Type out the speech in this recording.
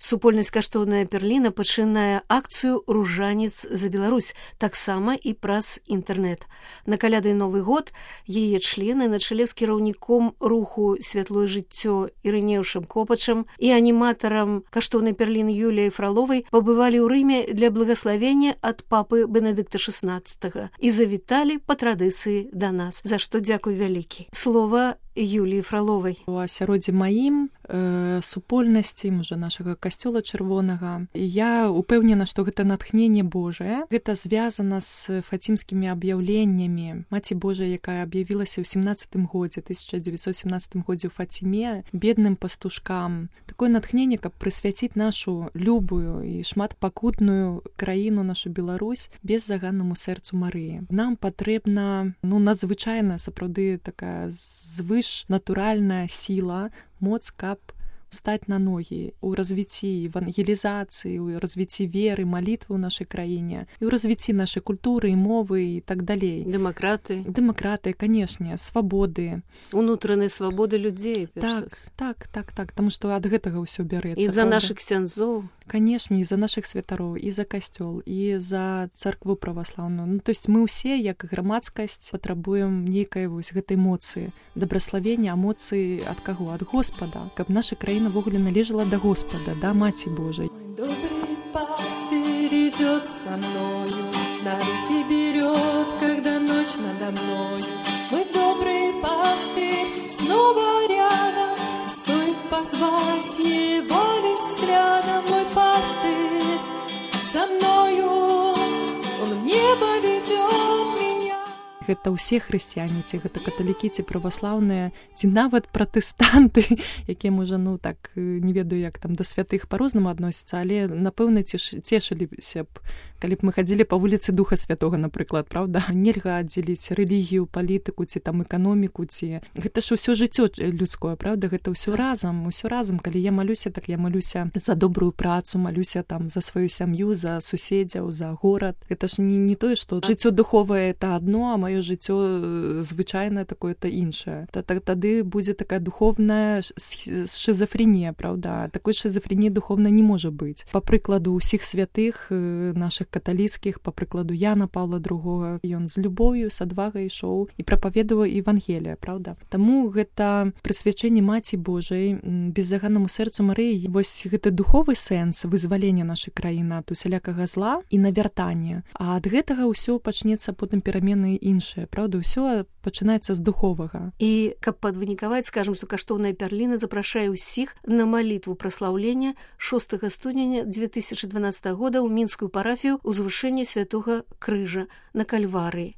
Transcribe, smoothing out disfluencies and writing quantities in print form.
Супольнасць каштоўная Берліна пачынае акцыю «Ружанец за Беларусь», таксама і праз інтэрнэт. На каляды Новы год яе члены на чале з кіраўніком руху «Святлое жыццё» Ірынеўшым Копачам і аніматарам каштоўнай Берліны Юліяй Фраловай пабывалі ў Рыме для благаславення ад папы Бенедыкта XVI і завіталі па традыцыі да нас, за што дзякуй вялікі. Слова Юліі Фраловай. У асяроддзі маім супольнасці, можа, нашага касцёла чырвонага. Я упэўнена, што гэта натхненне Божае. Гэта звязана з фацімскімі аб'яўленнямі Маці Божай, якая аб'явілася ў 1917 годзе ў Фаціме, бедным пастушкам. Такое натхненне, каб прысвяціць нашу любую і шматпакутную краіну, нашу Беларусь, без заганнаму сэрцу Марыі. Нам патрэбна, надзвычайна, сапраўды, такая звышнатуральная сіла, моц, каб стаць на ногі ў развіцці евангелізацыі, ў развіцці веры, малітвы ў нашай краіне, і ў развіцці нашай культуры і мовы і так далей. Дэмакратыі, канешне, свабоды. Унутранай свабоды людзей. Так, таму што ад гэтага ўсё бярэцца. І за нашых ксяндзоў. Канешне, і за нашых святароў, і за касцёл, і за царкву праваслаўную. То есть мы ўсе, як грамадскасць, патрабуем нейкай вось гэтай моцы, дабраславення, эмоцыі ад каго? Ад Господа. Каб наша краіна ввогуле належала да Господа, да Маці Божай. Мой добрый пастырь идёт со мною, на руки берет, когда ночь надо мною. Мой добрый пастырь снова рядом, стоит позвать его лишь взглядом. Мой пастырь со мною, он в небо ведет меня. Гэта ўсе хрысціяне, ці гэта каталікі, ці праваслаўныя, ці нават пратэстанты, якія, можа, так, не ведаю, як там да святых па-рознаму адносяцца, але, напэўна, цешыліся б, калі б мы хадзілі па вуліцы Духа Святога, напрыклад, правда? Нельга аддзеліць рэлігію, палітыку, ці там эканоміку, ці... Гэта ж ўсё жыццё людское, правда? Гэта ўсё разам. Калі я малюся, так я малюся за добрую працу, малюся там за сваю сям'ю, за суседзяў, за горад. Гэта ж не тое, што жыццё духовае — это адно, а маё жыццё звычайнае такое-то іншае. Тады будзе такая духовная шизофренія, правда? Такой шизофренії духовнай не можа быць. Па прыкладу ўсіх святых нашых каталіцкіх, па прыкладу Яна Паўла II, ён з любоўю, з адвагай ішоў і прапаведаваў Евангелія, правда? Таму гэта прысвячэнне Маці Божай, беззаганнаму сэрцу Марыі, вось гэты духовы сэнс вызвалення нашай краіны ад усялякага зла і навяртання. А ад гэтага ўсё пачнецца потым перамены іншыя, правда? Ўсё пачынаецца з духовага. І каб падвынікаваць, скажам, што каштоўная Берліна запрашае ўсіх на малітву праслаўлення 6 студзеня 2012 года ў мінскую парафію ўзвышэння Святога Крыжа на Кальварыі.